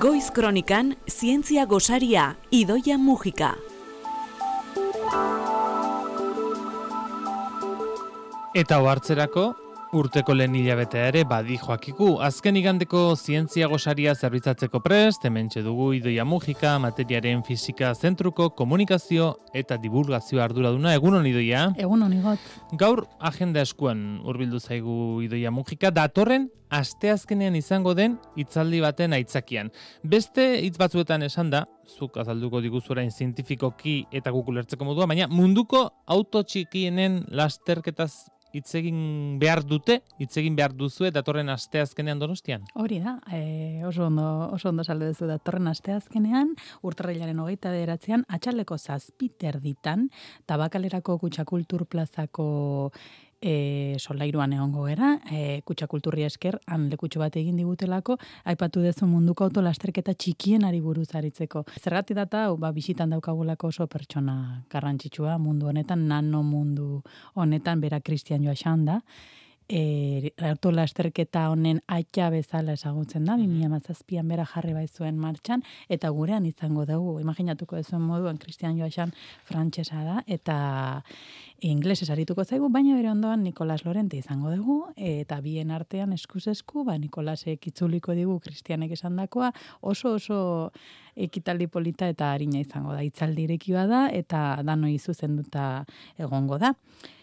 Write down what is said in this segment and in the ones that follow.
Goiz Kronikan, zientzia gosaria, Idoia Mujika. Eta ohartzerako, urteko lehen hilabetea ere badi joakiku. Azken igandeko zientzia gosaria zerbitzatzeko prest, hementxe dugu Idoia Mujika, materiaren fisika zentruko komunikazio eta divulgazio arduraduna. Egunon, Idoia? Egunon, Igot. Gaur agenda eskuan hurbildu zaigu Idoia Mujika, datorren asteazkenean izango den hitzaldi baten aitzakian. Beste hitz batzuetan esan da, zuk azalduko diguzu orain zientifikoki eta guk ulertzeko modua, baina munduko auto txikienen lasterketaz hitz egin behar duzue datorren asteazkenean Donostian? Hori da, oso ondo salde duzu datorren asteazkenean, urtarrilaren 29an, atxaldeko 7:30 Tabakalerako Kutxakultur plazako solairuan egongo gera, Kutxakulturri esker, han lekutxo bat egin digutelako, aipatu dezu munduko autolasterketa txikienari buruz aritzeko. Zergatik data, bisitan daukagulako oso pertsona garrantzitsua mundu honetan, nano mundu honetan, bera Christian Joaxan da, autolasterketa honen aita bezala ezagutzen da, 2017an bera jarri baizuen martxan, eta gurean izango dugu, imaginatuko duzuen moduan, Christian Joaxan frantsesa da, eta inglesez arituko zaigu, baina bere ondoan Nikolas Lorente izango dugu, eta bien artean eskuz esku, Nikolasek itzuliko digu Christianek esandakoa, oso ekitaldi polita eta harina izango da, hitzaldi ireki bada, eta danoi zuzenduta egongo da.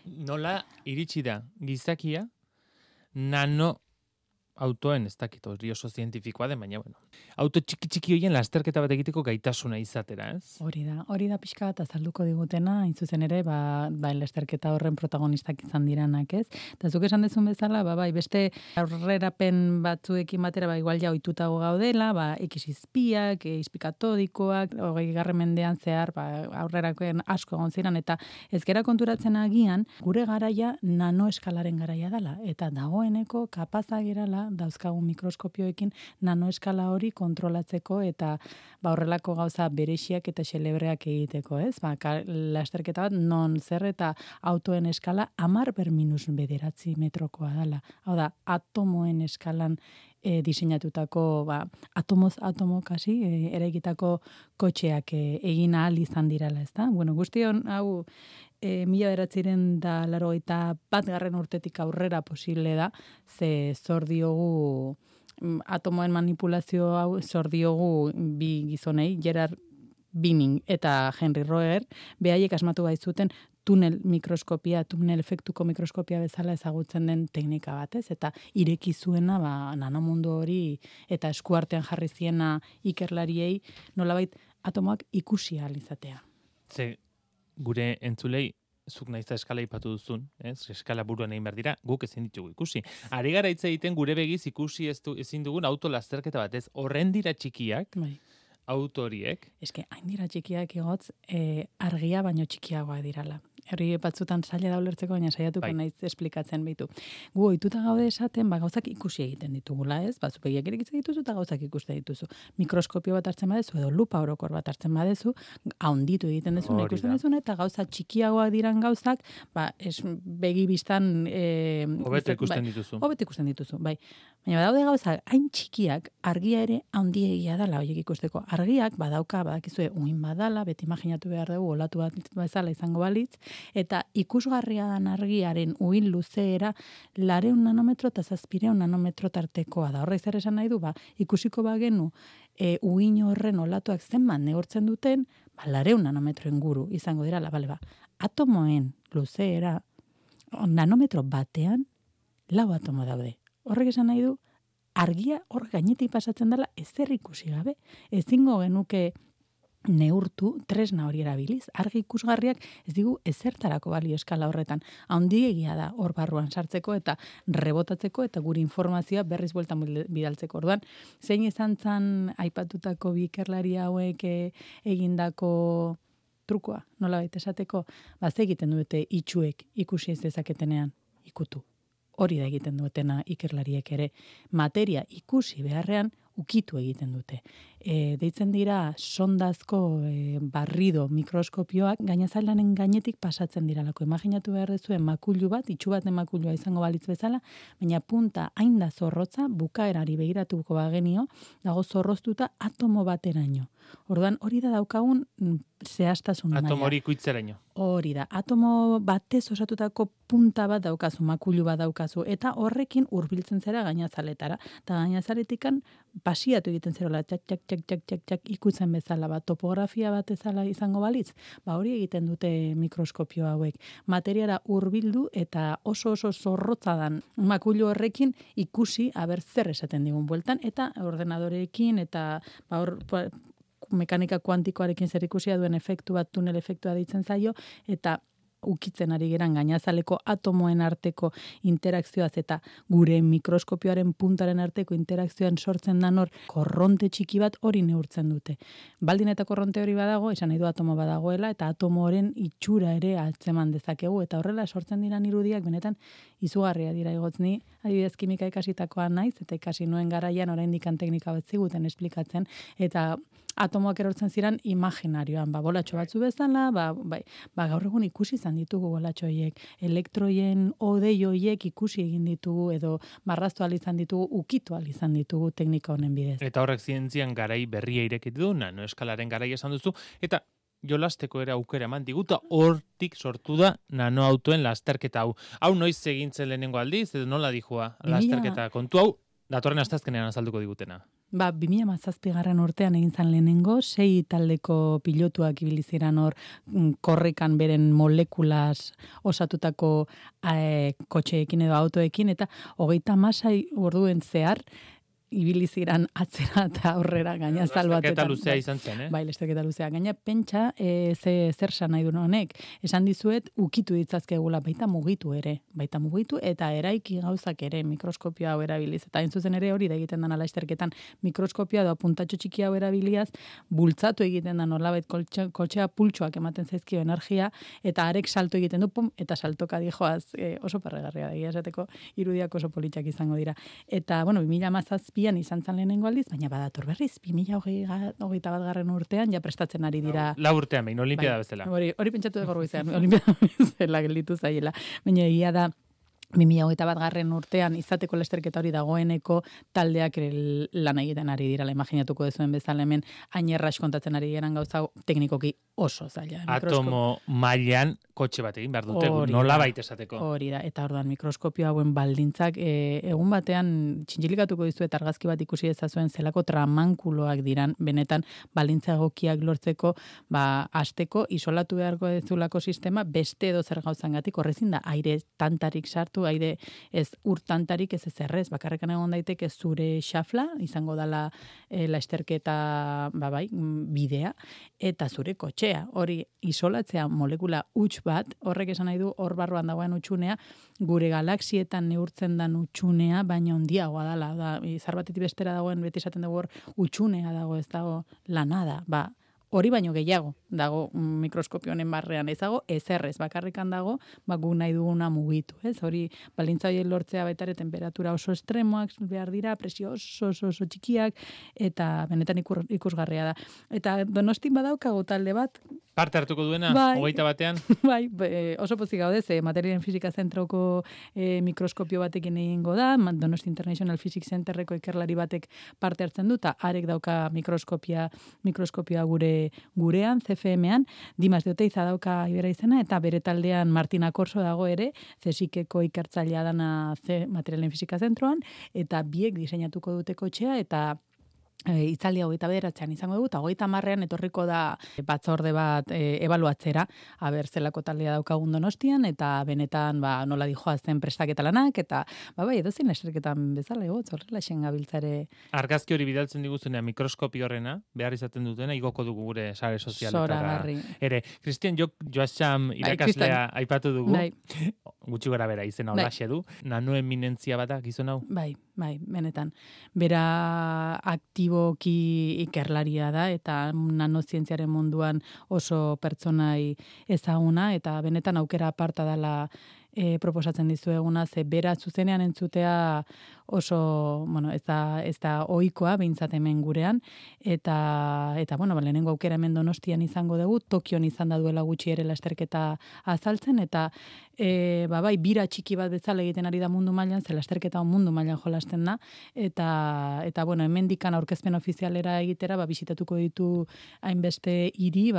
Nola iritsi da gizakia nano autoen, ez dakit hori oso zientifikoa den, baina auto txiki horien lasterketa bat egiteko gaitasuna izatera, ez? Hori da pixka bat azalduko digutena, hain zuzen ere, lasterketa horren protagonistak izan diranak, ez? Eta zuk esan dezun bezala, beste aurrerapen batzuekin batera, igual ja ohitutago gaudela, X-izpiak, izpikatodikoak, 20. mendean zehar, aurrerakoen asko egon ziren, eta ez gera konturatzen agian, gure garaia nanoeskalaren garaia dela, eta dagoeneko kapazak gerala dauzkagun mikroskopioekin nanoeskala hori kontrolatzeko eta horrelako gauza berexiak eta xelebreak egiteko, ez? Lasterketa bat non zer eta autoen eskala 10⁻9 metrokoa dela. Hau da, atomoen eskalan diseinatutako, atomo kasi, eraikitako kotxeak egin ahal izan dirala, ez da? Guzti hau 1981 urtetik aurrera posible da, ze zor diogu atomoen manipulazio hau zor diogu bi gizonei, Gerard Binning eta Henry Roer, behaiek asmatu baitzuten tunel efektuko mikroskopia bezala ezagutzen den teknika batez, eta ireki zuena nanomundu hori eta eskuartean jarri ziena ikerlariei nolabait atomoak ikusi ahal izatea. Gure entzulei, zuk naizta eskala ipatu duzun, eskala buruan egin behar dira, guk ezin ditugu ikusi. Ari gara hitz egiten gure begiz ikusi ezin dugun auto lasterketa batez, horren dira txikiak, auto horiek. Hain dira txikiak egotz, argia baino txikiagoa dirala. Herri batzutan zaila da ulertzeko, baina saiatuko naiz esplikatzen behitu. Gu ohituta gaude esaten, gauzak ikusi egiten ditugula, ez? Zupegiak irekitzen dituzu eta gauzak ikusten dituzu. Mikroskopio bat hartzen badezu edo lupa orokor bat hartzen badezu, haunditu egiten dezuna ikusten dezuna, eta gauza txikiagoak diran gauzak, begi biztan hobeto ikusten dituzu. Hobeto ikusten dituzu, bai. Baina badaude gauzak hain txikiak, argia ere haundiegia dela horiek ikusteko. Argiak badakizue uin badala, beti imaginatu behar dugu olatu bat bezala izango balitz, eta ikusgarria dan argiaren uin luzeera 200 nanometro eta 700 nanometro tartekoa da. Horrez zer esan nahi du, ikusiko bagenu uin horren olatuak zenbat neurtzen duten, 200 nanometro inguru izango dira, atomoen luzeera nanometro batean 4 atomo daude. Horrek esan nahi du, argia hor gainetik pasatzen dela ezer ikusi gabe, ezingo genuke neurtu tresna hori erabiliz. Argi ikusgarriak ez digu ezertarako balio eskala horretan. Haundiegia da hor barruan sartzeko eta rebotatzeko eta gure informazioa berriz bueltan bidaltzeko. Orduan, zein izan zan aipatutako bi ikerlari hauek egindako trukoa, nola baita esateko, ze egiten dute itxuek ikusi ez dezaketenean ikutu. Hori da egiten duetena ikerlariek ere. Materia ikusi beharrean ukitu egiten dute. Deitzen dira sondazko barrido mikroskopioak gainazalanen gainetik pasatzen diralako. Imaginatu behar dezuen makulu bat, itxu bat makulua izango balitz bezala, baina punta hain da zorrotza, bukaerari begiratuko bagenio, dago zorroztuta atomo bateraino. Orduan hori da daukagun zehaztasun maila. Atomo hori ikuitzeraino. Hori da, atomo batez osatutako punta bat daukazu, makulu bat daukazu, eta horrekin hurbiltzen zera gainazaletara. Eta gainazaletikan pasiatu egiten zerola, txak, ikutzen bezala, topografia bat ezala izango balitz, hori egiten dute mikroskopio hauek. Materiara hurbildu eta oso zorrotza dan makulu horrekin ikusi aber zer esaten digun bueltan, eta ordenadoreekin, eta mekanika kuantikoarekin zer ikusia duen efektu bat, tunel efektua deitzen zaio, eta ukitzen ari geran gainazaleko atomoen arteko interakzioaz eta gure mikroskopioaren puntaren arteko interakzioan sortzen dan hor korronte txiki bat hori neurtzen dute. Baldin eta korronte hori badago, esan nahi du atomo badagoela, eta atomoren itxura ere atzeman dezakegu, eta horrela sortzen diran irudiak benetan izugarria dira igotzni, adibidez kimika ikasitakoa naiz, eta ikasi nuen garaian oraindik teknika bat ziguten esplikatzen, eta atomoak erortzen ziren imaginarioan, bolatxo batzu bezala, gaur egun ikusi izan ditugu bolatxo horiek, elektroien odei horiek ikusi egin ditugu, edo marraztu ahal izan ditugu, ukitu ahal izan ditugu teknika honen bidez. Eta horrek zientzian garai berria irekitu du, nanoeskalaren garai esan duzu, eta jolasteko ere aukera eman diguta, hortik sortu da nanoautoen lasterketa hau. Hau noiz egintzen lehenengo aldiz, edo nola dijua lasterketa kontu hau, datorren astazkenean azalduko digutena. 2017 urtean egin zan lehenengo, 6 taldeko pilotuak ibili ziren hor korrikan beren molekulas osatutako kotxeekin edo autoekin, eta 36 orduen zehar ibili ziren atzera eta aurrera gainazal batetan. Lasterketa luzea izan zen, Bai, lasterketa luzea. Gaina pentsa zer san nahi duen honek. Esan dizuet ukitu ditzazkegula, baita mugitu eta eraiki gauzak ere mikroskopio hau erabiliz. Eta hain zuzen ere hori da egiten dana lasterketan mikroskopioa edo puntatxo txiki hau erabiliaz, bultzatu egiten da nolabait koltxea pultsuak ematen zaizkio energia, eta arek salto egiten du, pum, eta saltoka dijoaz oso parregarria da, esateko irudiak oso politxak izango dira. Eta, 2017 izan zan lehenengo aldiz, baina badator berriz, 2021 urtean, ja prestatzen ari dira. La urtean behin, olimpiada bezala. Hori pentsatu dugu izan, olimpiada bezala gelditu zaiela. Baina egia da, 2021 urtean izateko lasterketa hori dagoeneko taldeak lan egiten ari dira, imaginatuko dezuen bezala hemen ainerras kontatzen ari geran gauza teknikoki oso zaila. Atomo mailan kotxe bat egin behar dute, nola baita esateko. Hori da, eta orduan mikroskopio hauen baldintzak egun batean txintxilikatuko dizuet argazki bat ikusi ezazuen zelako tramankuloak diran, benetan baldintza egokiak lortzeko, hasteko isolatu beharko dezulako sistema beste edo zer gauzangatik, horrezin da aire tantarik sartu, aire ez urtantarik ez ezerrez, bakarrekan egon daiteke zure xafla, izango dala lasterketa bidea, eta zure kotxea, hori isolatzea molekula huts bat, horrek esan nahi du hor barruan dagoen utxunea, gure galaxietan neurtzen dan utxunea, baina handiagoa dala, izar batetik bestera dagoen, beti esaten dugu hor utxunea dago, ez dago lanada, hori baino gehiago dago mikroskopio honen barrean, ez dago ezerrez, bakarrikan dago, gu nahi duguna mugitu, ez? Hori baldintza horiek lortzea baita ere temperatura oso estremoak behar dira, presio oso txikiak, eta benetan ikusgarria da. Eta Donostin badaukago talde bat, parte hartuko duena, 21-ean? Bai, oso pozik gaude, materialen fisika zentroko mikroskopio batekin egingo da, Donosti International Physics Centerreko ikerlari batek parte hartzen du, eta arek dauka mikroskopia gurean, CFM-an, Dimas de Oteiza dauka ibera izena, eta bere taldean Martina Corso dago ere, CSIC-eko ikertzailea dana materialen fisika zentroan, eta biek diseinatuko dute kotxea, eta itzaldia 29an izango dugu, eta 30ean etorriko da batzorde bat ebaluatzera, aber zelako taldea daukagun Donostian, eta benetan nola dijoazen prestaketa lanak, eta edozein lasterketan bezala egotz, horrela xen gabiltzare. Argazki hori bidaltzen diguzunean mikroskopio horrena, behar izaten dutena, igoko dugu gure sare sozialetara. Ere, Cristian Joacham irakaslea aipatu dugu, gutxi gara bera izena holaxe du, nanoeminentzia bada gizon hau? Bai, benetan. Bera aktiboki ikerlaria da, eta nanozientziaren munduan oso pertsonai ezaguna, eta benetan aukera aparta dela proposatzen dizueguna, ze bera zuzenean entzutea oso, bueno, ez da ohikoa behintzat hemen gurean, eta bueno, lehenengo aukera hemen Donostian izango dugu, Tokion izan da duela gutxi ere lasterketa azaltzen, eta bai, bira txiki bat bezala egiten ari da mundu mailan, ze lasterketa mundu mailan jolasten da, eta bueno, hemendikan aurkezpen ofizialera egitera, bisitatuko ditu hainbeste hiri,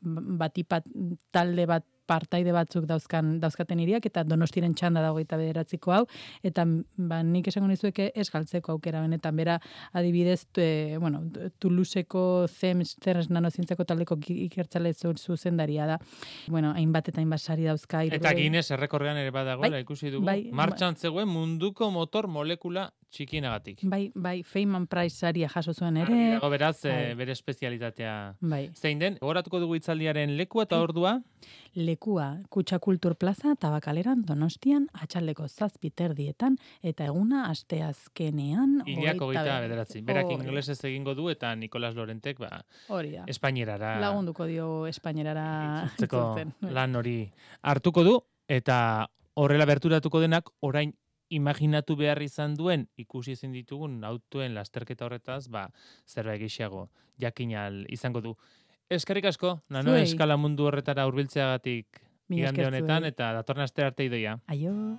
batipat talde bat partaide batzuk dauzkaten hiriak, eta Donostiren txanda da 29ko hau, eta nik esango nizueke ez galtzeko aukera benetan, bera adibidez, Toulouseko CERNS nanozientzako taldeko ikertzale zuzendaria da. Bueno, hainbat eta hainbat sari dauzka. Eta Guinness errekorrean ere badagoela, ikusi dugu, martxan zegoen munduko motor molekula txikinagatik. Bai, Feynman Prize saria jaso zuen ere. Dago beraz, bere espezialitatea. Zein den, horatuko dugu hitzaldiaren lekua eta ordua? Lekua, Kutxa Kultur Plaza, Tabakaleran, Donostian, atxaldeko 7:30 eta eguna asteazkenean. Hilak 29. Berak ingelesez egingo du eta Nikolas Lorentek espainierara. Lagunduko dio espainierara itzultzen. Lan hori hartuko du eta horrela berturatuko denak orain imaginatu behar izan duen ikusi ezin ditugun autoen lasterketa horretaz, zerbait gehiago jakinal izango du. Eskerrik asko, nano eskala mundu horretara hurbiltzeagatik igande honetan, eta datorren aste arte Idoia. Aio.